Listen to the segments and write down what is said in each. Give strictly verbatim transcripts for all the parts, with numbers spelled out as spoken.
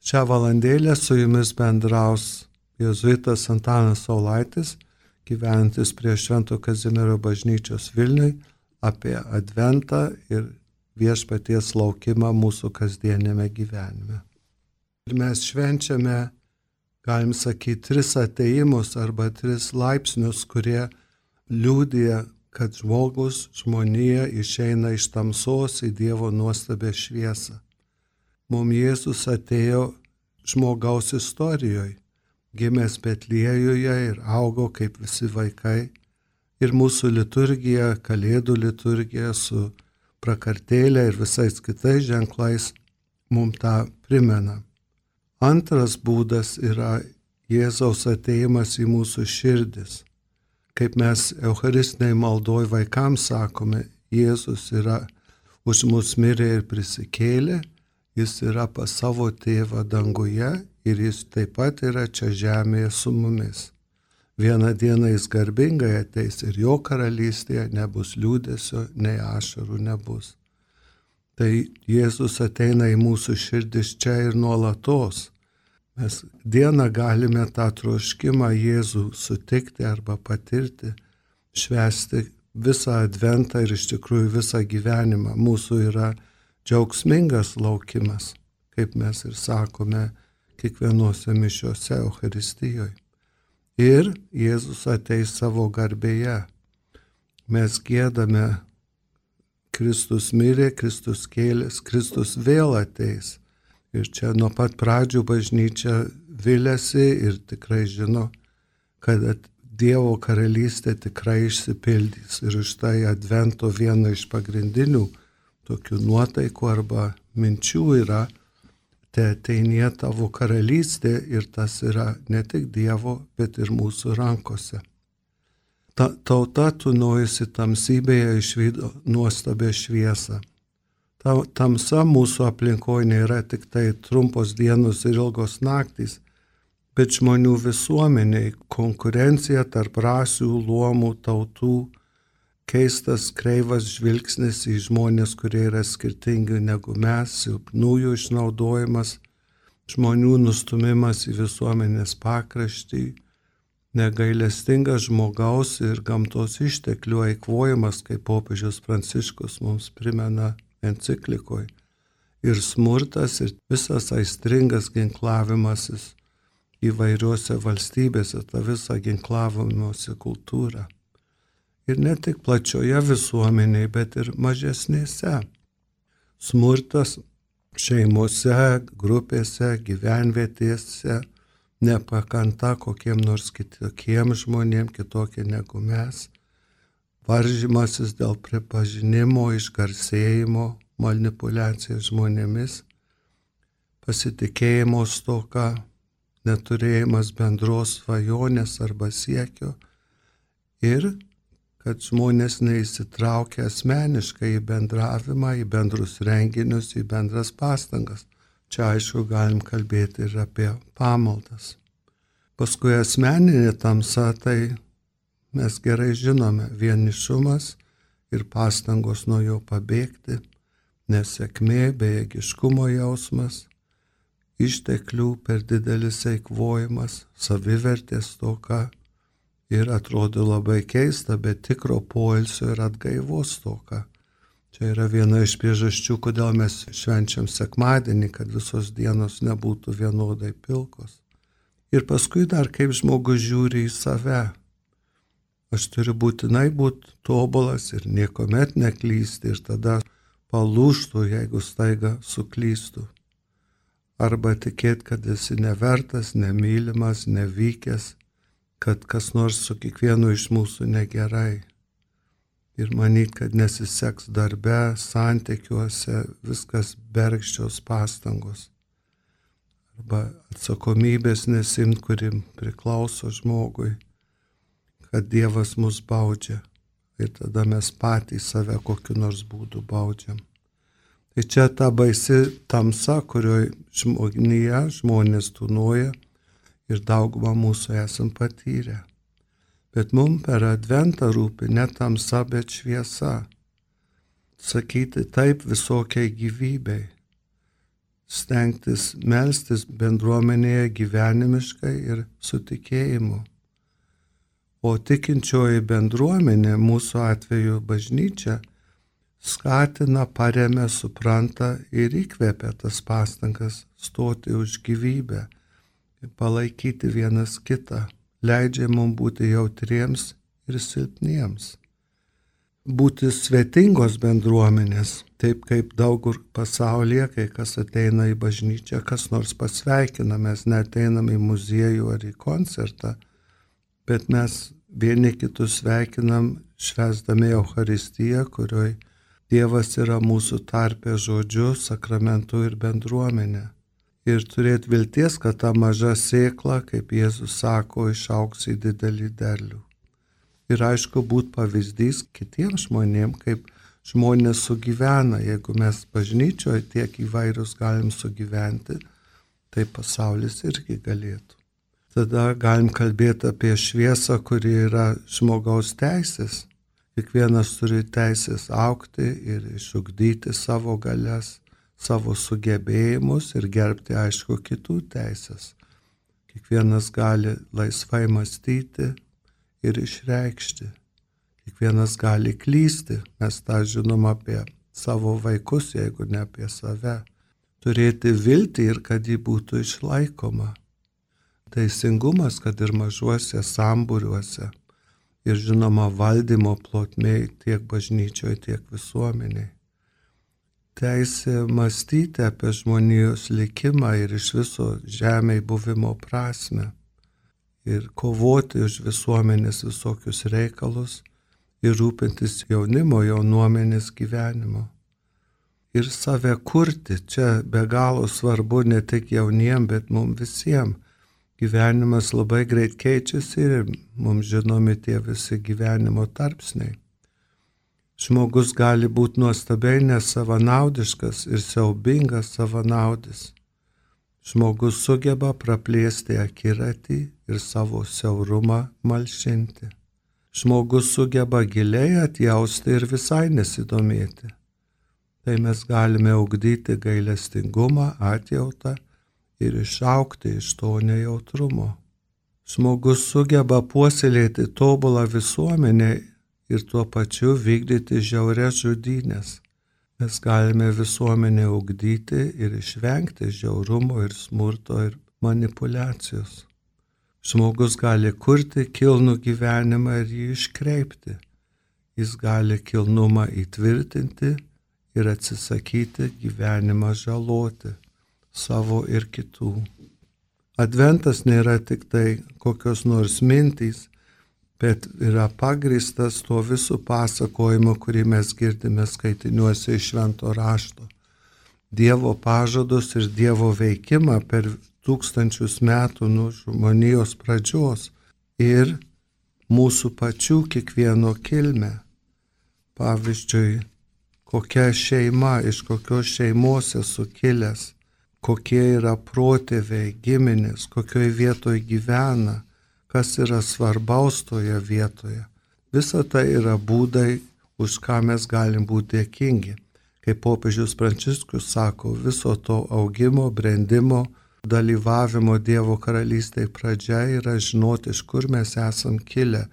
Šią valandėlę su jumis bendraus jėzuitas Antanas Saulaitis, gyvenantis prie Švento Kazimiero bažnyčios Vilniui, apie Adventą ir viešpaties laukimą mūsų kasdienėme gyvenime. Ir mes švenčiame, galim sakyti, tris atėjimus arba tris laipsnius, kurie liudija, kad žmogus, žmonija išeina iš tamsos į Dievo nuostabę šviesą. Mums Jėzus atėjo žmogaus istorijoje, gimęs Betliejuje ir augo kaip visi vaikai. Ir mūsų liturgija, Kalėdų liturgija su prakartėlė ir visais kitais ženklais mums tą primena. Antras būdas yra Jėzaus atėjimas į mūsų širdis. Kaip mes eucharistiniai maldoj vaikams sakome, Jėzus yra už mus mirė ir prisikėlė, jis yra pas savo tėvą danguje ir jis taip pat yra čia žemėje su mumis. Vieną dieną jis garbingai ateis ir jo karalystėje nebus liūdesio, nei ašarų nebus. Tai Jėzus ateina į mūsų širdis čia ir nuolatos. Mes dieną galime tą troškimą Jėzų sutikti arba patirti, švęsti visą Adventą ir iš tikrųjų visą gyvenimą. Mūsų yra džiaugsmingas laukimas, kaip mes ir sakome kiekvienose mišiose Eucharistijoje. Ir Jėzus ateis savo garbėje. Mes giedame, Kristus mirė, Kristus kėlės, Kristus vėl ateis. Ir čia nuo pat pradžių bažnyčia viliasi ir tikrai žino, kad Dievo karalystė tikrai išsipildys. Ir už tai Advento viena iš pagrindinių tokių nuotaikų arba minčių yra, te ateinie tavo karalystė ir tas yra ne tik Dievo, bet ir mūsų rankose. Ta, tauta tūnojusi tamsybėje išvydo nuostabę šviesą. Ta tamsa mūsų aplinkoje nėra tik tai trumpos dienos ir ilgos naktys, bet žmonių visuomeniai, konkurencija tarp rasių, luomų, tautų, keistas, kreivas žvilgsnis į žmonės, kurie yra skirtingi negu mes, silpnųjų išnaudojimas, žmonių nustumimas į visuomenės pakraštį, negailestingas žmogaus ir gamtos išteklių eikvojimas, kaip popiežius Pranciškus mums primena enciklikoje, ir smurtas ir visas aistringas ginklavimasis įvairiuose valstybėse, ta visa ginklavimosi kultūra. Ir ne tik plačioje visuomenėje, bet ir mažesnėse. Smurtas šeimose, grupėse, gyvenvietėse, nepakanta kokiem nors kitokiem žmonėm, kitokie negu mes. Varžymasis dėl pripažinimo, išgarsėjimo, manipuliacija žmonėmis, pasitikėjimo stoka, neturėjimas bendros svajonės arba siekio ir kad žmonės neįsitraukia asmeniškai į bendravimą, į bendrus renginius, į bendras pastangas. Čia aišku galim kalbėti ir apie pamaldas. Paskui asmeninė tamsa, tai mes gerai žinome, vienišumas ir pastangos nuo jo pabėgti, nesėkmė, bejėgiškumo jausmas, išteklių per didelis eikvojimas, savivertės stoka. Ir atrodo labai keista, bet tikro poilsio ir atgaivos stoka. Čia yra viena iš priežasčių, kodėl mes švenčiam sekmadienį, kad visos dienos nebūtų vienodai pilkos. Ir paskui dar kaip žmogus žiūri į save. Aš turiu būtinai būti tobulas ir niekuomet neklysti ir tada palūžtų, jeigu staiga suklystų. Arba tikėti, kad esi nevertas, nemylimas, nevykęs, kad kas nors su kiekvienu iš mūsų negerai. Ir manyt, kad nesiseks darbe, santykiuose, viskas bergždžios pastangos. Arba atsakomybės nesimt, kuri priklauso žmogui, kad Dievas mus baudžia. Ir tada mes patys save kokiu nors būdu baudžiam. Tai čia ta baisi tamsa, kurioje žmonija, žmonės tūnoja, ir daugumą mūsų esam patyrę. Bet mums per Adventą rūpi ne tamsa, bet šviesa. Sakyti taip visokiai gyvybei. stengtis melstis bendruomenėje gyvenimiškai ir su tikėjimu. O tikinčioji bendruomenė, mūsų atveju bažnyčia, skatina, paremia, supranta ir įkvepia tas pastangas stoti už gyvybę, palaikyti vienas kitą, leidžia mums būti jautriems ir silpniems. Būti svetingos bendruomenės, taip kaip daug kur pasaulyje, kai kas ateina į bažnyčią, kas nors pasveikina, mes neateinam į muziejų ar į koncertą, bet mes vieni kitus sveikinam švęsdami Eucharistiją, kurioj Dievas yra mūsų tarpe žodžiu, sakramentu ir bendruomenė. Ir turėti vilties, kad ta maža sėkla, kaip Jėzus sako, išaugs į didelį derlių. Ir aišku, būt pavyzdys kitiems žmonėms, kaip žmonės sugyvena. Jeigu mes bažnyčioje tiek įvairius galim sugyventi, tai pasaulis irgi galėtų. Tada galim kalbėti apie šviesą, kuri yra žmogaus teisės. Kiekvienas turi teisės augti ir išugdyti savo galias, savo sugebėjimus ir gerbti, aišku, kitų teisės. Kiekvienas gali laisvai mąstyti ir išreikšti. Kiekvienas gali klysti, mes tą žinom apie savo vaikus, jeigu ne apie save. Turėti viltį ir kad ji būtų išlaikoma. Teisingumas, kad ir mažuose sambūriuose. Ir žinoma valdymo plotmėj tiek bažnyčioje, tiek visuomeniai. Teisė mąstyti apie žmonijos likimą ir iš viso žemėj buvimo prasme. Ir kovoti už visuomenės visokius reikalus ir rūpintis jaunimo, jaunuomenės gyvenimo. Ir save kurti, čia be galo svarbu ne tik jauniem, bet mums visiems. Gyvenimas labai greit keičiasi ir mums žinomi tie visi gyvenimo tarpsniai. Žmogus gali būti nuostabiai nesavanaudiškas ir siaubingas savanaudis. Žmogus sugeba praplėsti akiratį ir savo siaurumą malšinti. Žmogus sugeba giliai atjausti ir visai nesidomėti. Tai mes galime ugdyti gailestingumą, atjautą ir išaugti iš to nejautrumo. Žmogus sugeba puoselėti tobulą visuomenę ir tuo pačiu vykdyti žiaurias žudynės. Mes galime visuomenę ugdyti ir išvengti žiaurumo ir smurto ir manipulacijos. Žmogus gali kurti kilnų gyvenimą ir jį iškreipti. Jis gali kilnumą įtvirtinti ir atsisakyti gyvenimą žaloti savo ir kitų. Adventas nėra tik tai kokios nors mintys, bet yra pagrįstas tuo visų pasakojimu, kurį mes girdime skaitiniuose iš Švento rašto. Dievo pažadus ir Dievo veikimą per tūkstančius metų nuo žmonijos pradžios ir mūsų pačių kiekvieno kilmę. Pavyzdžiui, kokia šeima, iš kokios šeimos esu kilęs, kokie yra protėviai, giminės, kokioje vietoje gyvena, kas yra svarbaus toje vietoje. Visa tai yra būdai, už ką mes galim būti dėkingi. Kaip popiežius Pranciškus sako, viso to augimo, brendimo, dalyvavimo Dievo karalystėje pradžia yra žinoti, iš kur mes esam kilę.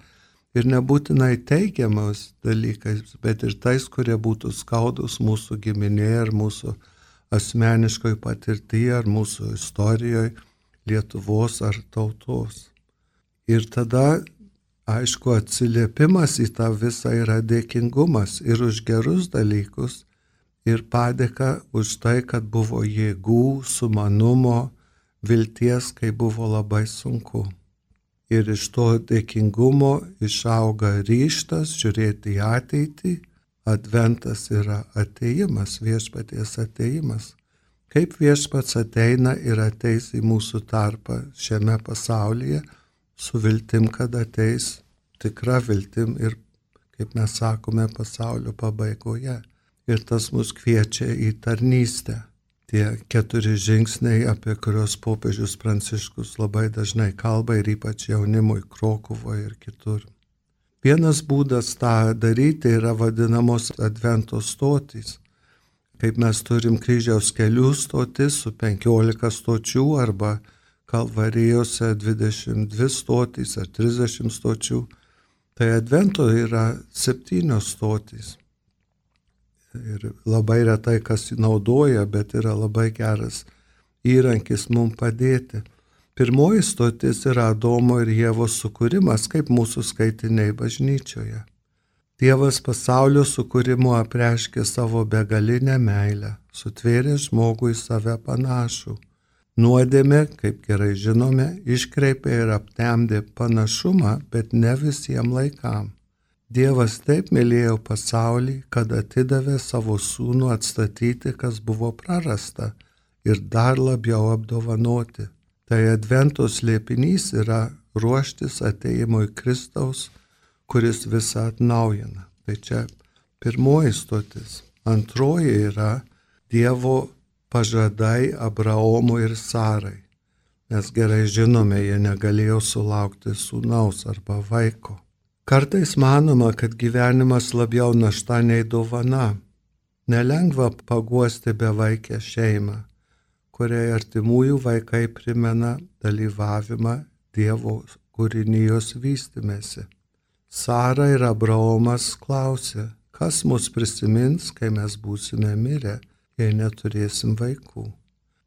Ir nebūtinai teigiamas dalykais, bet ir tais, kurie būtų skaudus mūsų giminėje ar mūsų asmeniškoj patirtyje ar mūsų istorijoje, Lietuvos ar tautos. Ir tada, aišku, atsiliepimas į tą visą yra dėkingumas ir už gerus dalykus, ir padėka už tai, kad buvo jėgų, sumanumo, vilties, kai buvo labai sunku. Ir iš to dėkingumo išauga ryžtas žiūrėti į ateitį. Adventas yra atėjimas, viešpaties atėjimas. Kaip viešpats ateina ir ateis į mūsų tarpą šiame pasaulyje, su viltim, kad ateis tikra viltim ir, kaip mes sakome, pasaulio pabaigoje. Ir tas mus kviečia į tarnystę. Tie keturi žingsniai, apie kurios popiežius Pranciškus labai dažnai kalba ir ypač jaunimui Krokuvoje ir kitur. Vienas būdas tą daryti yra vadinamos advento stotys. kaip mes turim kryžiaus kelių stotis su penkiolika stočių arba Kalvarijose dvidešimt dvi stotys ar trisdešimt stočių, tai Advento yra septynios stotys. Ir labai retai kas naudoja, bet yra labai geras įrankis mums padėti. Pirmoji stotis yra Adomo ir Ievos sukūrimas, kaip mūsų skaitiniai bažnyčioje. Dievas pasaulio sukūrimu apreiškė savo begalinę meilę, sutvėrė žmogų į save panašų. Nuodėmė, kaip gerai žinome, iškreipė ir aptemdė panašumą, bet ne visiems laikam. Dievas taip mylėjo pasaulį, kad atidavė savo sūnų atstatyti, kas buvo prarasta, ir dar labiau apdovanoti. Tai Advento slėpinys yra ruoštis ateimui Kristaus, kuris visą atnaujina. Tai čia pirmoji stotis. Antroji yra Dievo pažadai Abraomui ir Sarai. Mes gerai žinome, jie negalėjo sulaukti sūnaus arba vaiko. Kartais manoma, kad gyvenimas labiau našta nei dovana. Nelengva paguosti bevaikę šeimą, kuriai artimųjų vaikai primena dalyvavimą Dievo kūrinijos vystymėsi. Sara ir Abraomas klausė, kas mus prisimins, kai mes būsime mirę, jei neturėsim vaikų.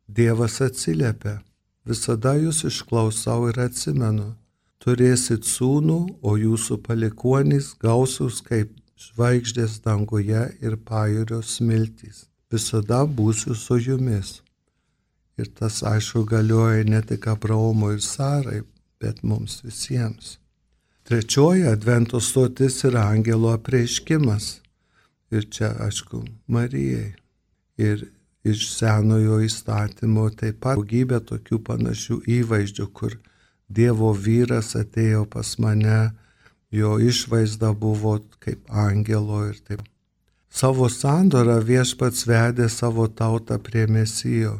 Dievas atsiliepia, visada jūs išklausau ir atsimenu. Turėsit sūnų, o jūsų palikuonys gausūs kaip žvaigždės danguje ir pajūrio smiltys. Visada būsiu su jumis. Ir tas aišku galioja ne tik Abraomui ir Sarai, bet mums visiems. Trečioji Advento stotis yra angelo apreiškimas. Ir čia, aišku, Marijai. Ir iš Senojo įstatymo taip pat daugybė tokių panašių įvaizdžių, kur Dievo vyras atėjo pas mane, jo išvaizda buvo kaip angelo ir taip. Savo sandorą Viešpats vedė savo tautą prie Mesijo.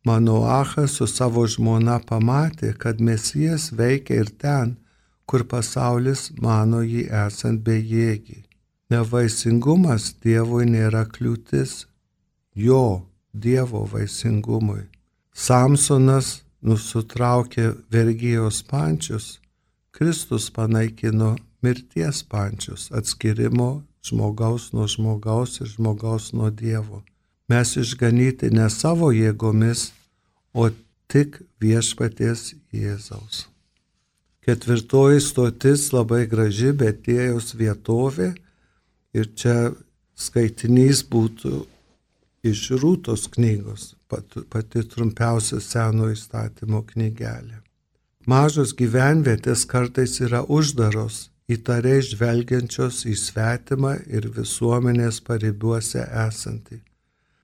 Manoachas su savo žmona pamatė, kad Mesijas veikia ir ten, kur pasaulis mano jį esant bejėgį. Nevaisingumas Dievui nėra kliūtis, jo, Dievo vaisingumui. Samsonas nusutraukė vergijos pančius, Kristus panaikino mirties pančius, atskirimo žmogaus nuo žmogaus ir žmogaus nuo Dievo. Mes išganyti ne savo jėgomis, o tik Viešpaties Jėzaus. Ketvirtoji stotis labai graži Betiejaus vietovė ir čia skaitinys būtų iš Rūtos knygos, pati, pati trumpiausia Senojo įstatymo knygelė. Mažos gyvenvietės kartais yra uždaros, įtariai žvelgiančios į svetimą ir visuomenės paribiuose esantį.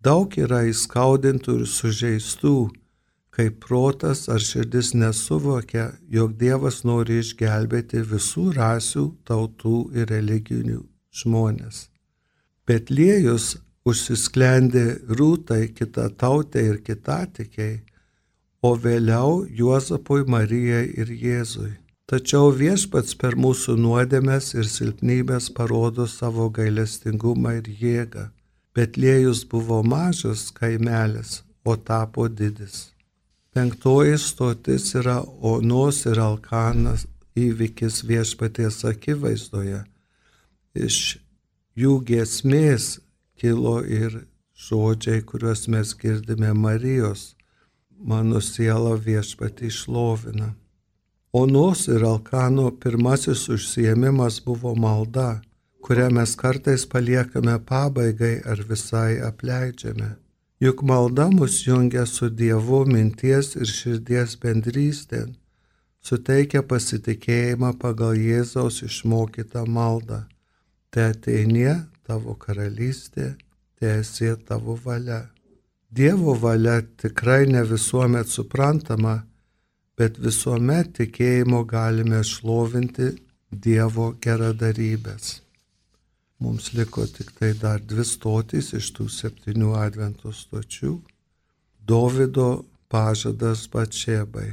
Daug yra įskaudintų ir sužeistų, kai protas ar širdis nesuvokia, jog Dievas nori išgelbėti visų rasių, tautų ir religinių žmonės. Betliejus užsisklendė Rūtai, kitatautei ir kitatikiai, o vėliau Juozapui, Marijai ir Jėzui. Tačiau Viešpats per mūsų nuodėmes ir silpnybės parodo savo gailestingumą ir jėgą. Betliejus buvo mažas kaimelis, o tapo didis. Penktoji stotis yra Onos ir Alkanas įvykis Viešpaties akivaizdoje. Iš jų giesmės kilo ir žodžiai, kuriuos mes girdime Marijos. Mano siela Viešpatį šlovina. Onos ir Alkano pirmasis užsiėmimas buvo malda, kurią mes kartais paliekame pabaigai ar visai apleidžiame. Juk malda mus jungia su Dievu minties ir širdies bendrystėn, suteikia pasitikėjimą pagal Jėzaus išmokytą maldą. Te ateinie tavo karalystė, teesie tavo valia. Dievo valia tikrai ne visuomet suprantama, bet visuomet tikėjimo galime šlovinti Dievo geradarybės. Mums liko tik tai dar dvi stotys iš tų septynių Advento stočių. Dovydo pažadas Batšebai.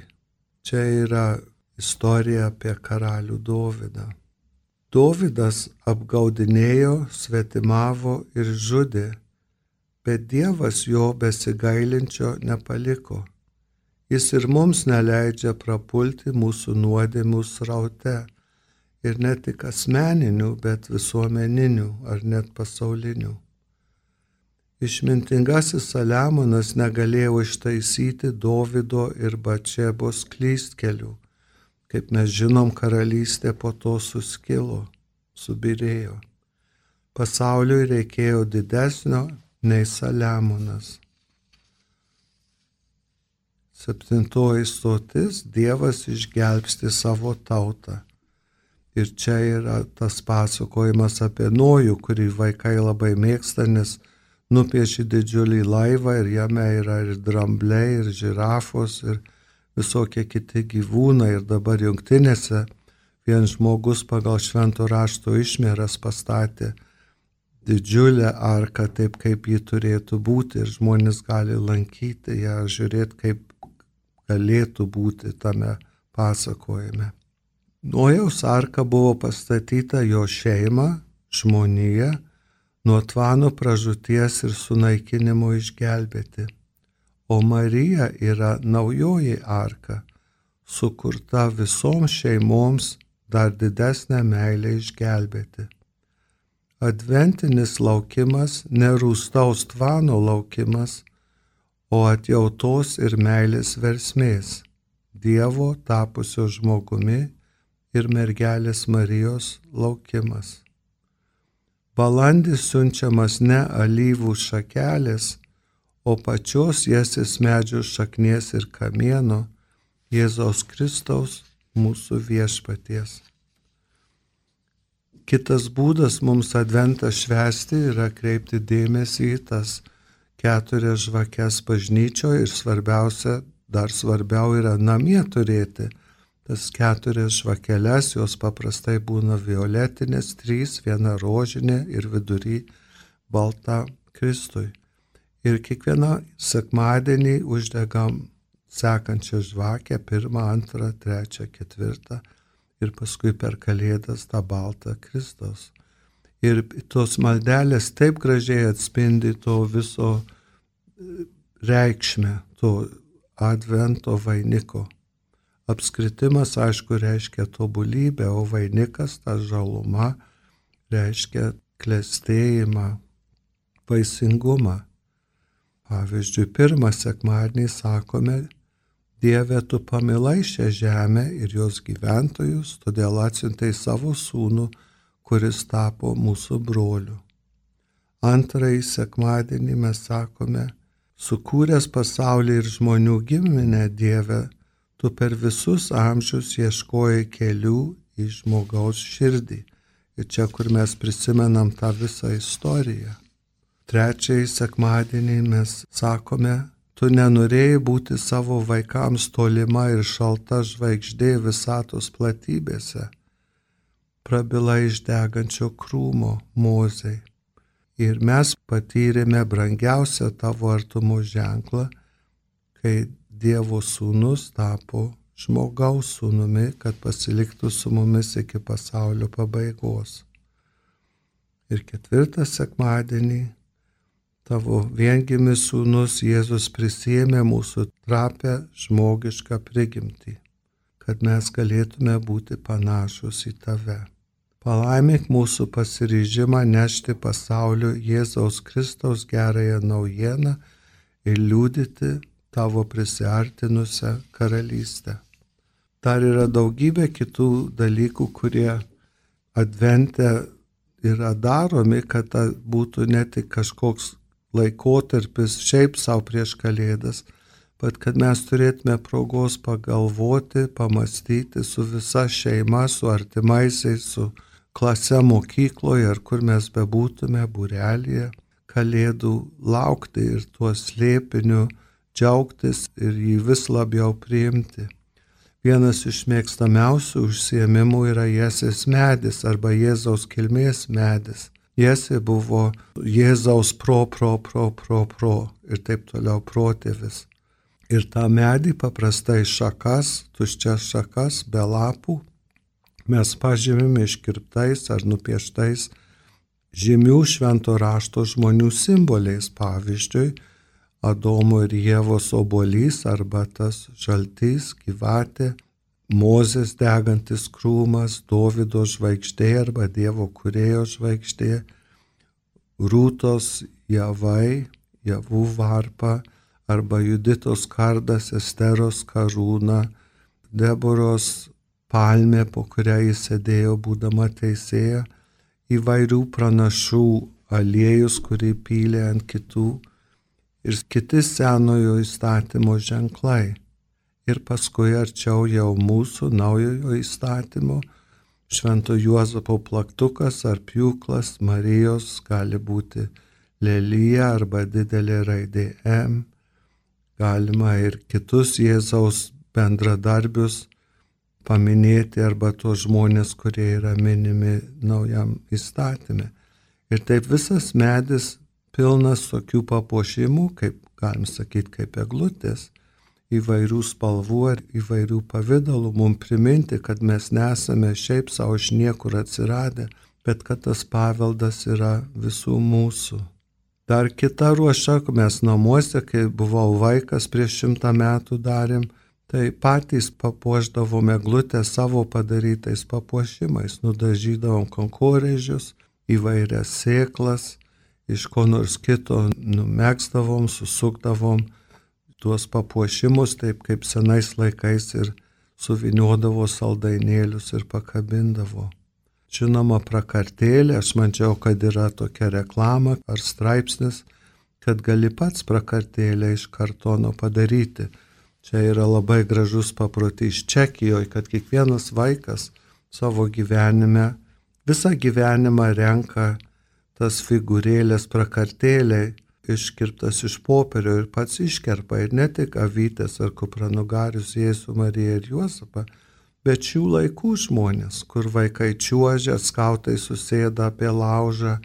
Čia yra istorija apie karalių Dovydą. Dovydas apgaudinėjo, svetimavo ir žudė, bet Dievas jo besigailinčio nepaliko. Jis ir mums neleidžia prapulti mūsų nuodėmių sraute ir ne tik asmeninių, bet visuomeninių ar net pasaulinių. Išmintingasis Saliamonas negalėjo ištaisyti Dovydo ir Batšebos klystkelių. Kaip mes žinom, karalystė po to suskilo, subyrėjo. Pasauliui reikėjo didesnio nei Saliamonas. Septintoji stotis – Dievas išgelbsti savo tautą. Ir čia yra tas pasakojimas apie Nojų, kurį vaikai labai mėgsta, nes nupieši didžiulį laivą ir jame yra ir drambliai, ir žirafos, ir visokie kiti gyvūnai. Ir dabar jungtinėse vien žmogus pagal švento rašto išmėras pastatė didžiulę arką taip, kaip ji turėtų būti. Ir žmonės gali lankyti ją, žiūrėti, kaip galėtų būti tame pasakojime. Nojaus arka buvo pastatyta jo šeimą, žmoniją, nuo tvano pražūties ir sunaikinimo išgelbėti. O Marija yra naujoji arka, sukurta visoms šeimoms dar didesnę meilę išgelbėti. Adventinis laukimas nerūstaus tvano laukimas, o atjautos ir meilės versmės, Dievo tapusio žmogumi ir mergelės Marijos laukimas. Balandis siunčiamas ne alyvų šakelės, o pačios Jesės medžių šaknies ir kamieno, Jėzaus Kristaus, mūsų viešpaties. Kitas būdas mums adventą švęsti yra kreipti dėmesį į tas keturias žvakes bažnyčioje ir svarbiausia, dar svarbiau yra namie turėti tas keturias žvakeles, jos paprastai būna violetinės, trys, viena rožinė ir vidury balta Kristui. Ir kiekvieną sekmadienį uždegam sekančią žvakę, pirmą, antrą, trečią, ketvirtą ir paskui per Kalėdas tą baltą Kristaus. Ir tos maldelės taip gražiai atspindi to viso reikšmę, to advento vainiko. Apskritimas, aišku, reiškia tobulybę, o vainikas, ta žaluma, reiškia klestėjimą, vaisingumą. Pavyzdžiui, pirmą sekmadienį sakome, Dieve, tu pamilai šią žemę ir jos gyventojus, todėl atsiuntei savo sūnų, kuris tapo mūsų broliu. Antrąjį sekmadienį mes sakome, sukūręs pasaulį ir žmonių giminę, Dieve, tu per visus amžius ieškojai kelių į žmogaus širdį. Ir čia, kur mes prisimenam tą visą istoriją. Trečiąjį sekmadienį mes sakome, tu nenorėjai būti savo vaikams tolima ir šalta žvaigždė visatos platybėse. Prabila iš degančio krūmo Mozei. Ir mes patyrėme brangiausią tavo artumo ženklą, kai Dievo sūnus tapo žmogaus sūnumi, kad pasiliktų su mumis iki pasaulio pabaigos. Ir ketvirtą sekmadienį tavo viengimis sūnus Jėzus prisiėmė mūsų trapę žmogišką prigimtį, kad mes galėtume būti panašus į tave. Palaimink mūsų pasiryžimą nešti pasauliu Jėzaus Kristaus gerąją naujieną ir liudyti tavo prisiartinusią karalystę. Dar yra daugybė kitų dalykų, kurie advente yra daromi, kad ta būtų ne tik kažkoks laikotarpis šiaip savo prieš Kalėdas, bet kad mes turėtume progos pagalvoti, pamastyti su visa šeima, su artimaisiais, su klase mokykloje ar kur mes bebūtume, būrelyje, Kalėdų laukti ir tuo slėpiniu džiaugtis ir jį vis labiau priimti. Vienas iš mėgstamiausių užsiėmimų yra Jesės medis arba Jėzaus kilmės medis. Jesė buvo Jėzaus pro, pro, pro, pro, pro ir taip toliau protėvis. Ir tą medį paprastai šakas, tuščias šakas, be lapų, mes pažymime iškirptais ar nupieštais žymių švento rašto žmonių simboliais, pavyzdžiui, Adomo ir Ievos obuolys arba tas žaltys, gyvatė, Mozės degantis krūmas, Dovydo žvaigždė arba Dievo kūrėjo žvaigždė, Rūtos javai, javų varpa arba Juditos kardas, Esteros karūna, Deboros palmė, po kurią jis sėdėjo būdama teisėja, įvairių pranašų aliejus, kurį pylė ant kitų ir kiti senojo įstatymo ženklai. Ir paskui arčiau jau mūsų naujojo įstatymo, Švento Juozapo plaktukas ar pjūklas, Marijos gali būti lelija arba didelė raidė M. Galima ir kitus Jėzaus bendradarbius paminėti arba tuos žmonės, kurie yra minimi naujam įstatyme. Ir taip visas medis pilnas tokių papuošimų, kaip galim sakyti, kaip eglutės, įvairių spalvų ir įvairių pavydalų, mums priminti, kad mes nesame šiaip savo iš niekur atsiradę, bet kad tas paveldas yra visų mūsų. Dar kita ruoša, mes namuose, kai buvau vaikas prieš šimtą metų darėm, tai patys papuošdavom eglutę savo padarytais papuošimais, nudažydavom kankorėžius, įvairias sėklas, iš ko nors kito numegzdavom, susukdavom tuos papuošimus, taip kaip senais laikais ir suviniodavo saldainėlius ir pakabindavo. Žinoma, prakartėlė, aš mačiau, kad yra tokia reklama ar straipsnis, kad gali pats prakartėlę iš kartono padaryti. Čia yra labai gražus paprotys Čekijoje, kad kiekvienas vaikas savo gyvenime, visą gyvenimą renka tas figūrėlės prakartėliai, iškirptas iš popierio ir pats iškerpa ir ne tik avytės ar kupranugarius Jėzų, Mariją ir Juozapą, bet šių laikų žmonės, kur vaikai čiuožia, skautai susėda apie laužą,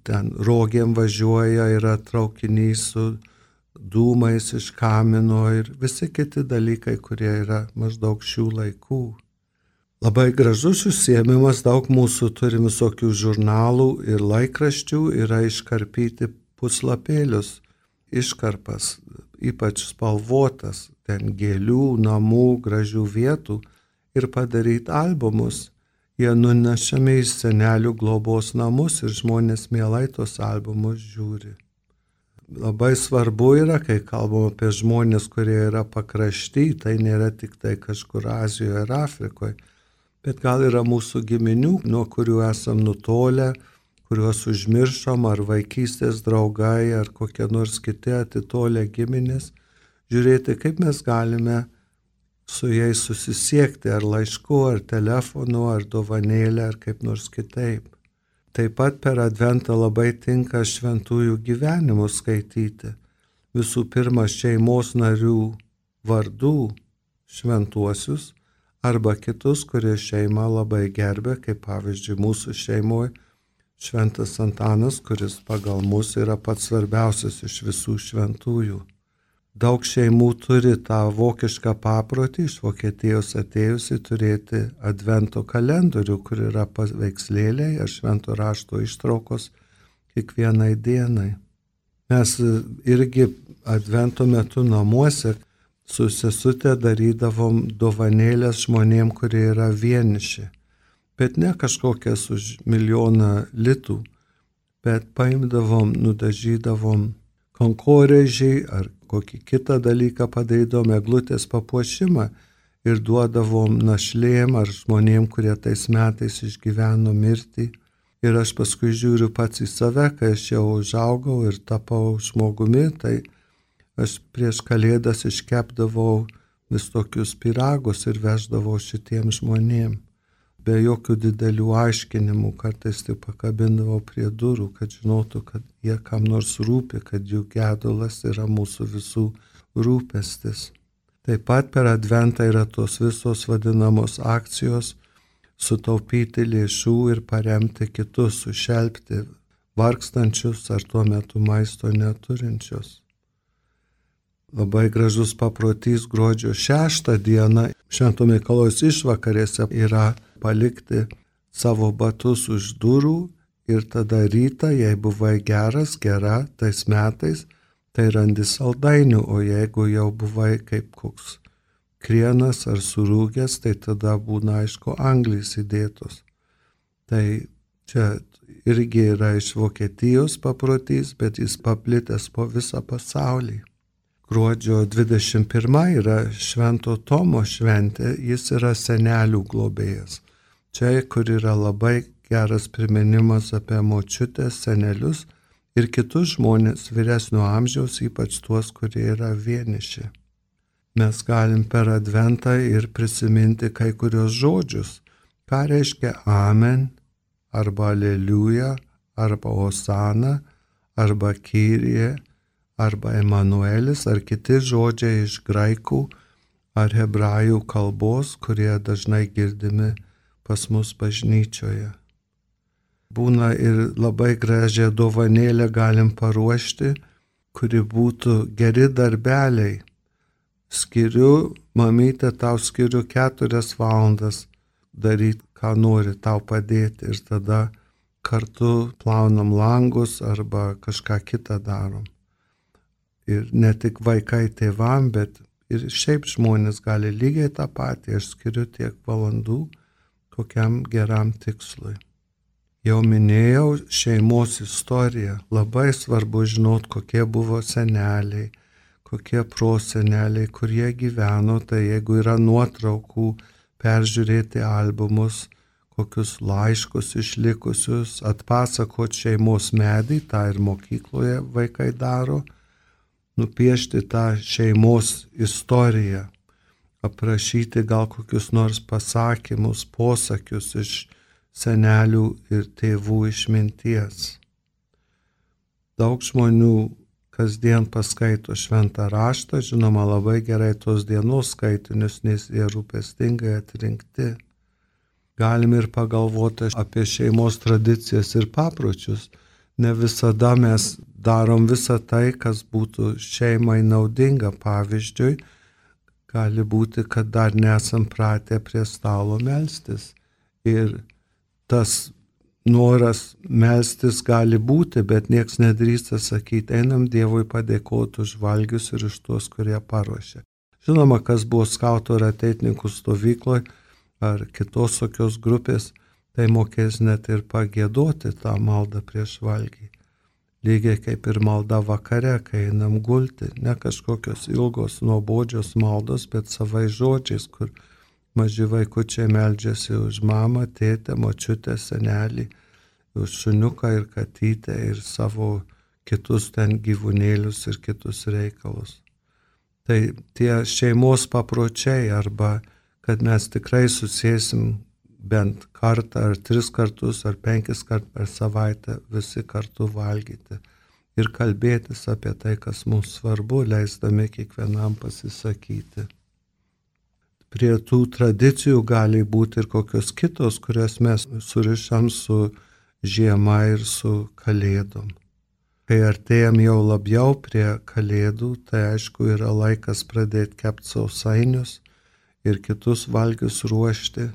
ten rogėm važiuoja, yra traukinys su dūmais iš kamino ir visi kiti dalykai, kurie yra maždaug šių laikų. Labai gražus užsiėmimas, daug mūsų turim visokių žurnalų ir laikraščių, yra iškarpyti puslapėlius, iškarpas, ypač spalvotas, ten gėlių, namų, gražių vietų ir padaryti albumus. Jie nunešami į senelių globos namus ir žmonės mielai tos albumus žiūri. Labai svarbu yra, kai kalbam apie žmonės, kurie yra pakrašty, tai nėra tik tai kažkur Azijoje ir Afrikoje, bet gal yra mūsų giminių, nuo kurių esam nutolę, kuriuos užmiršom, ar vaikystės draugai, ar kokie nors kiti atitolę giminės, žiūrėti, kaip mes galime su jais susisiekti, ar laišku, ar telefonu, ar dovanėlę, ar kaip nors kitaip. Taip pat per Adventą labai tinka šventųjų gyvenimus skaityti. Visų pirma, šeimos narių vardų šventuosius, arba kitus, kurie šeimą labai gerbė, kaip pavyzdžiui mūsų šeimoje, Šventas Antanas, kuris pagal mus yra pats svarbiausias iš visų šventųjų. Daug šeimų turi tą vokišką paprotį, iš Vokietijos atėjusi turėti advento kalendorių, kur yra paveikslėliai ar švento rašto ištraukos kiekvienai dienai. Mes irgi advento metu namuose su sesute darydavom dovanėlės žmonėm, kurie yra vieniši. Bet ne kažkokias už milijoną litų, bet paimdavom, nudažydavom kankorėžiai ar kokį kitą dalyką padarydavom eglutės papuošimą ir duodavom našlėm ar žmonėm, kurie tais metais išgyveno mirtį. Ir aš paskui žiūriu pats į save, kai aš jau užaugau ir tapau žmogumi, tai aš prieš Kalėdas iškepdavau vis tokius pyragus ir veždavau šitiem žmonėm. Be jokių didelių aiškinimų, kartais tai pakabindavau prie durų, kad žinotų, kad jie kam nors rūpi, kad jų gedulas yra mūsų visų rūpestis. Taip pat per Adventą yra tos visos vadinamos akcijos sutaupyti lėšų ir paremti kitus, sušelpti vargstančius ar tuo metu maisto neturinčius. Labai gražus paprotys gruodžio šeštą dieną Švento Mikalojaus išvakarėse yra palikti savo batus už durų ir tada rytą, jei buvai geras, gera tais metais, tai randi saldainių, o jeigu jau buvai kaip koks krienas ar surūgęs, tai tada būna aišku anglys įdėtos. Tai čia irgi yra iš Vokietijos paprotys, bet jis paplitęs po visą pasaulį. Gruodžio dvidešimt pirma yra Švento Tomo šventė, jis yra senelių globėjas. Čia, kur yra labai geras priminimas apie močiutės, senelius ir kitus žmonės vyresnio amžiaus, ypač tuos, kurie yra vieniši. Mes galim per Adventą ir prisiminti kai kurios žodžius. Ką reiškia Amen, arba Aleliuja, arba Osana, arba Kyrie, arba Emanuelis, ar kiti žodžiai iš graikų ar hebrajų kalbos, kurie dažnai girdimi pas mus bažnyčioje. Būna ir labai gražią dovanėlę galim paruošti, kuri būtų geri darbeliai. Skiriu, mamytė, tau skiriu keturias valandas daryti, ką nori, tau padėti ir tada kartu plaunam langus arba kažką kitą darom. Ir ne tik vaikai tėvam, bet ir šiaip žmonės gali lygiai tą patį, aš skiriu tiek valandų kokiam geram tikslui. Jau minėjau šeimos istoriją, labai svarbu žinot, kokie buvo seneliai, kokie proseneliai, kurie gyveno, tai jeigu yra nuotraukų, peržiūrėti albumus, kokius laiškus išlikusius, atpasakot šeimos medį, tą ir mokykloje vaikai daro, nupiešti tą šeimos istoriją, aprašyti gal kokius nors pasakymus, posakius iš senelių ir tėvų išminties. Daug žmonių kasdien paskaito šventą raštą, žinoma labai gerai tos dienos skaitinius, nes jie rūpestingai atrinkti. Galim ir pagalvoti apie šeimos tradicijas ir papročius. Ne visada mes darom visą tai, kas būtų šeimai naudinga. Pavyzdžiui, gali būti, kad dar nesam pratę prie stalo melstis. Ir tas noras melstis gali būti, bet nieks nedrįsta sakyti, einam Dievui padėkoti už valgius ir už tuos, kurie paruošė. Žinoma, kas buvo skautų ir ateitininkų stovykloje ar kitos tokios grupės, tai mokės net ir pagiedoti tą maldą prieš valgį. Lygiai kaip ir malda vakare, kai einam gulti, ne kažkokios ilgos nuobodžios maldos, bet savai žodžiais, kur maži vaikučiai meldžiasi už mamą, tėtę, močiutę, senelį, už šuniuką ir katytę ir savo kitus ten gyvūnėlius ir kitus reikalus. Tai tie šeimos papročiai arba kad mes tikrai susėsim bent kartą ar tris kartus ar penkis kartus per savaitę visi kartu valgyti ir kalbėtis apie tai, kas mums svarbu, leisdami kiekvienam pasisakyti. Prie tų tradicijų gali būti ir kokios kitos, kurias mes surišam su žiema ir su kalėdom. Kai artėjam jau labiau prie kalėdų, tai aišku yra laikas pradėti kepti sausainius ir kitus valgius ruošti.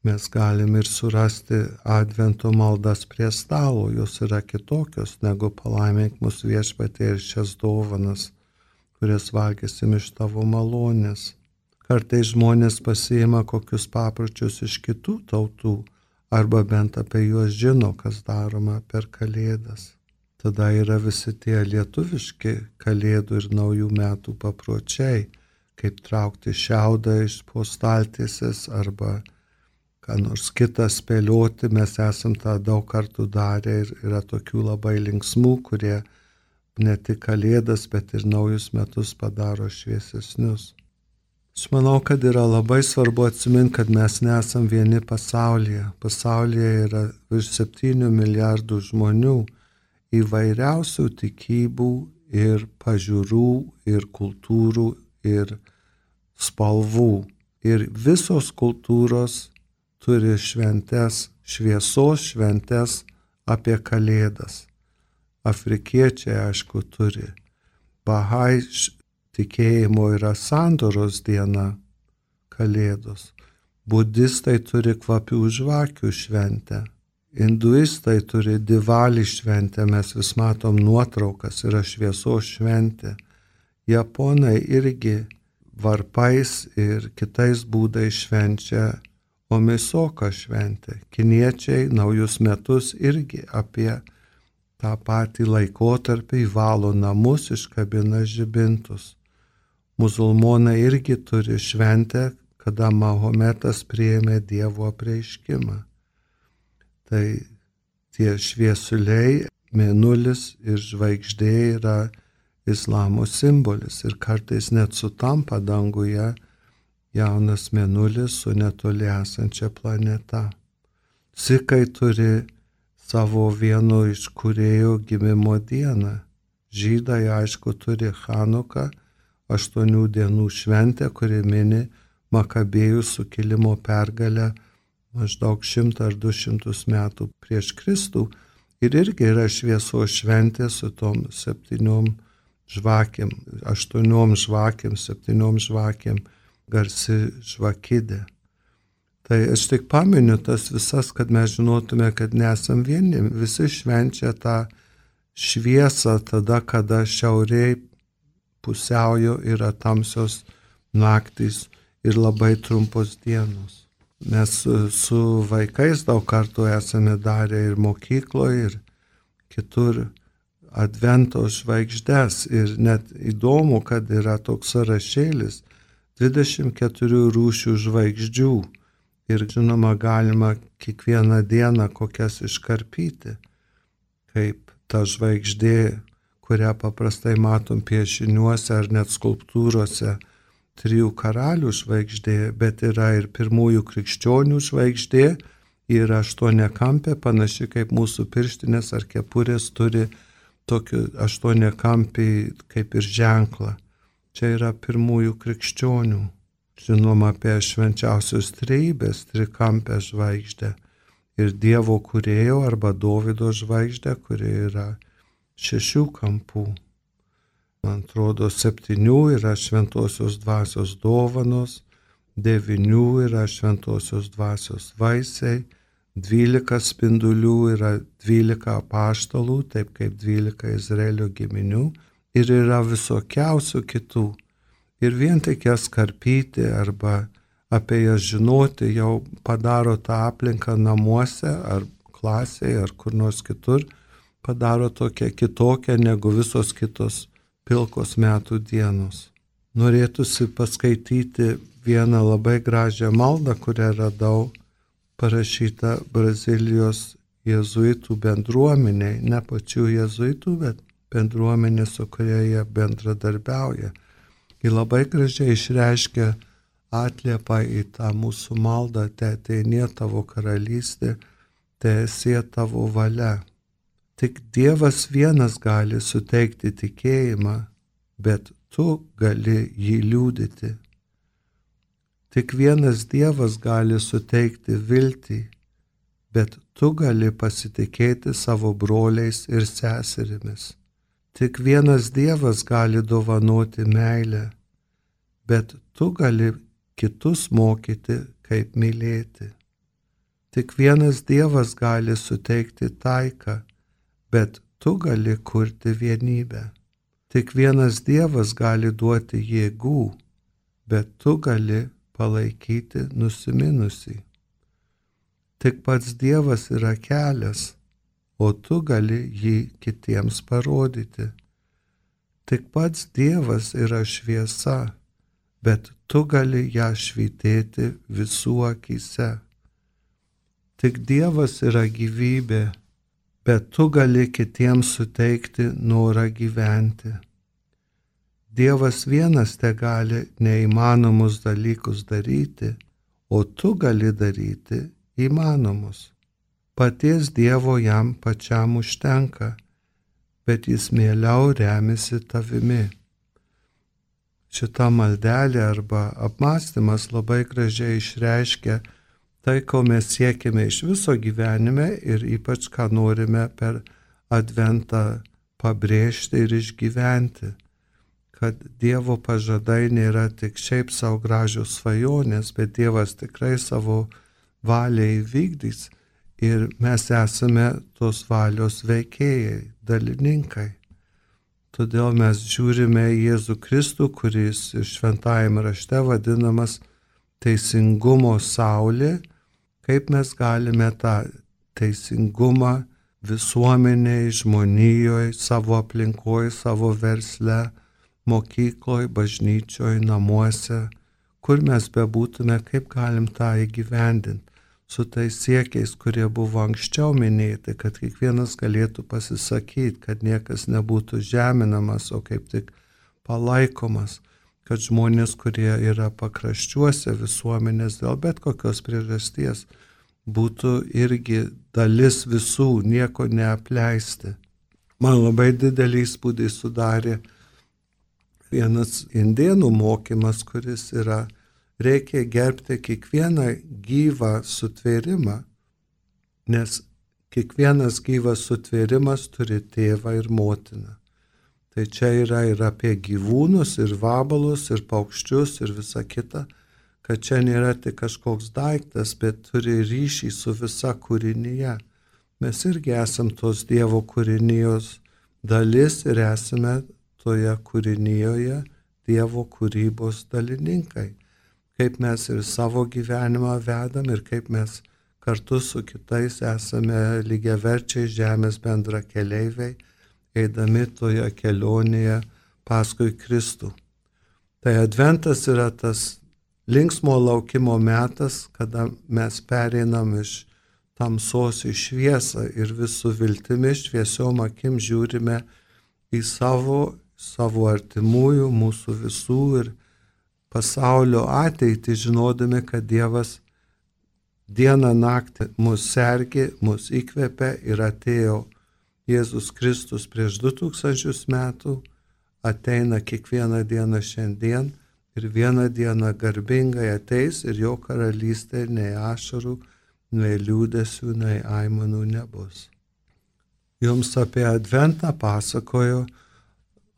Mes galim ir surasti advento maldas prie stalo, jos yra kitokios negu palaimink mus viešpatie ir šias dovanas, kurias valgysim iš tavo malonės. Kartais žmonės pasiima kokius papročius iš kitų tautų, arba bent apie juos žino, kas daroma per kalėdas. Tada yra visi tie lietuviški kalėdų ir naujų metų papročiai, kaip traukti šiaudą iš po staltiesės arba ką nors kitą spėlioti. Mes esam tą daug kartų darę ir yra tokių labai linksmų, kurie ne tik kalėdas, bet ir naujus metus padaro šviesesnius. Aš manau, kad yra labai svarbu atsiminti, kad mes nesam vieni pasaulyje. Pasaulyje yra virš septynių milijardų žmonių įvairiausių tikybų ir pažiūrų ir kultūrų ir spalvų. Ir visos kultūros turi šventes, šviesos šventes apie kalėdas. Afrikiečiai, aišku, turi. Bahai tikėjimo yra sandoros diena, kalėdos. Budistai turi kvapių žvakių šventę Hinduistai turi Divalį šventę, mes vis matom nuotraukas, yra šviesos šventė. Japonai irgi varpais ir kitais būdais švenčia Omisoka šventę. Kiniečiai naujus metus irgi apie tą patį laikotarpį valo namus, iškabina žibintus. Musulmonai irgi turi šventę, kada Mahometas priėmė Dievo apreiškimą. Tai tie šviesuliai, mėnulis ir žvaigždė yra islamo simbolis ir kartais net sutampa danguje jaunas mėnulis su netoli esančia planeta. Sikai turi savo vieno iš kūrėjų gimimo dieną. Žydai aišku turi Chanuką, aštuonių dienų šventę, kuri mini Makabėjų sukilimo pergalę maždaug šimtą ar du šimtus metų prieš Kristų. Ir irgi yra šviesos šventė su tom septyniom žvakėm, aštuoniom žvakėm, septyniom žvakėm, garsi žvakidė. Tai aš tik paminiu tas visas, kad mes žinotume, kad nesam vieni. Visi švenčia tą šviesą tada, kada šiauriai pusiaujo yra tamsios naktys ir labai trumpos dienos. Mes su vaikais daug kartų esame darę ir mokykloje, ir kitur advento žvaigždes. Ir net įdomu, kad yra toks sąrašėlis dvidešimt keturių rūšių žvaigždžių. Ir žinoma, galima kiekvieną dieną kokias iškarpyti, kaip ta žvaigždė, kurią paprastai matom piešiniuose ar net skulptūrose, trijų karalių žvaigždė, bet yra ir pirmųjų krikščionių žvaigždė, yra aštuoniakampė, panaši kaip mūsų pirštinės ar kepurės turi tokį aštuoniakampį kaip ir ženklą. Čia yra pirmųjų krikščionių. Žinoma apie švenčiausios trejybės trikampę žvaigždę ir Dievo kūrėjo arba Dovydo žvaigždę, kuri yra šešių kampų. Man atrodo, septynių yra šventosios dvasios dovanos, devynių yra šventosios dvasios vaisiai, dvylika spindulių yra dvylika apaštalų, taip kaip dvylika Izraelio giminių, ir yra visokiausių kitų. Ir vien tik jas karpyti arba apie jas žinoti jau padaro tą aplinką namuose ar klasėje ar kur nors kitur, padaro tokią kitokią negu visos kitos pilkos metų dienos. Norėtųsi paskaityti vieną labai gražią maldą, kurią radau parašytą Brazilijos jėzuitų bendruomeniai, ne pačių jėzuitų, bet bendruomenė, su kuria jie bendradarbiauja. Ji labai gražiai išreiškia atliepą į tą mūsų maldą, te ateinie tavo karalystė, te esie tavo valia. Tik Dievas vienas gali suteikti tikėjimą, bet tu gali jį liudyti. Tik vienas Dievas gali suteikti viltį, bet tu gali pasitikėti savo broliais ir seserimis. Tik vienas Dievas gali dovanoti meilę, bet tu gali kitus mokyti, kaip mylėti. Tik vienas Dievas gali suteikti taiką, bet tu gali kurti vienybę. Tik vienas Dievas gali duoti jėgų, bet tu gali palaikyti nusiminusį. Tik pats Dievas yra kelias, o tu gali jį kitiems parodyti. Tik pats Dievas yra šviesa, bet tu gali ją švytėti visų akyse. Tik Dievas yra gyvybė, bet tu gali kitiems suteikti norą gyventi. Dievas vienas te gali neįmanomus dalykus daryti, o tu gali daryti įmanomus. Paties Dievo jam pačiam užtenka, bet jis mieliau remisi tavimi. Šita maldelė arba apmąstymas labai gražiai išreiškia tai, ko mes siekime iš viso gyvenime ir ypač ką norime per adventą pabrėžti ir išgyventi, kad Dievo pažadai nėra tik šiaip savo gražios svajonės, bet Dievas tikrai savo valią įvykdys ir mes esame tos valios veikėjai, dalininkai. Todėl mes žiūrime į Jėzų Kristų, kuris šventajame rašte vadinamas teisingumo saulė, kaip mes galime tą teisingumą visuomeniai, žmonijoje, savo aplinkoje, savo versle, mokykloje, bažnyčioje, namuose, kur mes bebūtume, kaip galim tą įgyvendinti su tais siekiais, kurie buvo anksčiau minėti, kad kiekvienas galėtų pasisakyti, kad niekas nebūtų žeminamas, o kaip tik palaikomas, kad žmonės, kurie yra pakraščiuose visuomenės dėl bet kokios priežasties, būtų irgi dalis visų, nieko neapleisti. Man labai didelį įspūdį sudarė vienas indėnų mokymas, kuris yra: reikia gerbti kiekvieną gyvą sutvėrimą, nes kiekvienas gyvas sutvėrimas turi tėvą ir motiną. Tai čia yra ir apie gyvūnus, ir vabalus, ir paukščius, ir visa kita, kad čia nėra tik kažkoks daiktas, bet turi ryšį su visa kūrinyje. Mes irgi esam tos Dievo kūrinijos dalis ir esame toje kūrinijoje Dievo kūrybos dalininkai. Kaip mes ir savo gyvenimą vedam ir kaip mes kartu su kitais esame lygiaverčiai žemės bendra keleiviai, eidami toje kelionėje paskui Kristų. Tai adventas yra tas linksmo laukimo metas, kada mes pereinam iš tamsos į šviesą ir vis su viltimi, šviesiom akim žiūrime į savo, savo artimųjų, mūsų visų ir pasaulio ateitį, žinodami, kad Dievas dieną naktį mus sergi, mus įkvepia ir atėjo Jėzus Kristus prieš du tūkstančius metų, ateina kiekvieną dieną šiandien ir vieną dieną garbingai ateis ir jo karalystė nei ašarų, nei liūdesių, nei aimanų nebus. Jums apie adventą pasakojo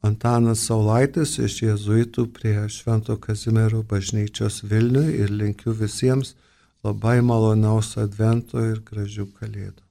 Antanas Saulaitis iš jėzuitų prie Švento Kazimiero bažnyčios Vilniuje ir linkiu visiems labai malonaus advento ir gražių kalėdų.